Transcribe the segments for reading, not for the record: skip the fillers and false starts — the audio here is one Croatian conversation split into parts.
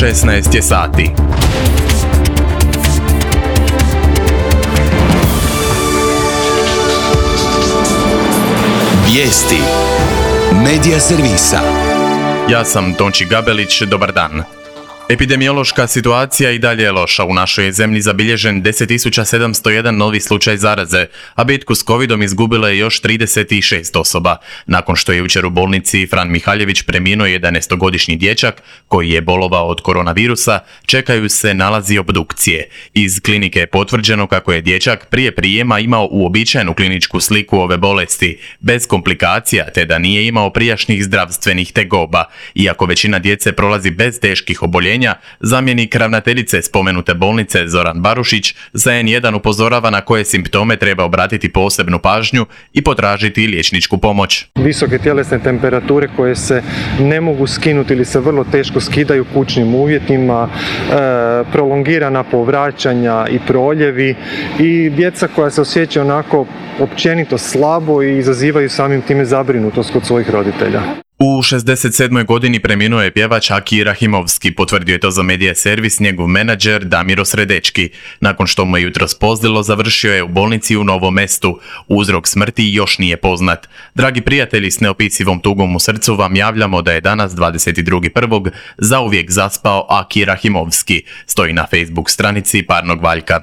16 je sati. Vijesti Medija servisa. Ja sam Tonči Gabelić, dobar dan. Epidemiološka situacija i dalje je loša. U našoj je zemlji zabilježen 10.701 novi slučaj zaraze, a bitku s covidom izgubilo je još 36 osoba. Nakon što je jučer u bolnici Fran Mihaljević preminuo 11-godišnji dječak koji je bolovao od koronavirusa, čekaju se nalazi obdukcije. Iz klinike je potvrđeno kako je dječak prije prijema imao uobičajenu kliničku sliku ove bolesti, bez komplikacija, te da nije imao prijašnjih zdravstvenih tegoba. Iako većina djece prolazi bez teških oboljenja, zamjenik ravnateljice spomenute bolnice Zoran Barušić za N1 upozorava na koje simptome treba obratiti posebnu pažnju i potražiti liječničku pomoć. Visoke tjelesne temperature koje se ne mogu skinuti ili se vrlo teško skidaju u kućnim uvjetima, prolongirana povraćanja i proljevi i djeca koja se osjećaju onako općenito slabo i izazivaju samim time zabrinutost kod svojih roditelja. U 67. godini preminuo je pjevač Aki Rahimovski, potvrdio je to za Medija servis njegov menadžer Damiro Sredečki. Nakon što mu je jutros pozlilo, završio je u bolnici u Novom Mestu. Uzrok smrti još nije poznat. Dragi prijatelji, s neopisivom tugom u srcu vam javljamo da je danas 22.1. zauvijek zaspao Aki Rahimovski, stoji na Facebook stranici Parnog Valjka.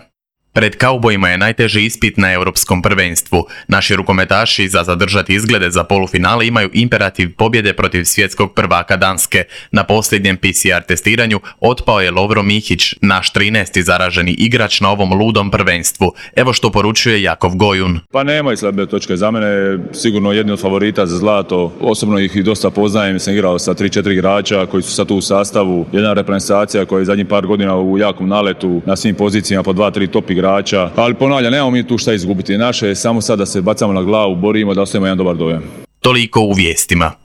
Pred kaubojima je najteži ispit na europskom prvenstvu. Naši rukometaši za zadržati izglede za polufinale imaju imperativ pobjede protiv svjetskog prvaka Danske. Na posljednjem PCR testiranju otpao je Lovro Mihić, naš 13. zaraženi igrač na ovom ludom prvenstvu. Evo što poručuje Jakov Gojun. Pa nema slabe točke. Za mene sigurno jedni od favorita za zlato. Osobno ih i dosta poznajem. Sam igrao sa 3-4 igrača koji su sad tu u sastavu. Jedna reprezentacija koja je zadnjih par godina u jakom naletu na svim pozicijama po 2-3 top igrača. Ali ponavljam, nemamo mi tu šta izgubiti. Naše je samo sad da se bacamo na glavu, borimo da ostavimo jedan dobar dojam. Toliko u vijestima.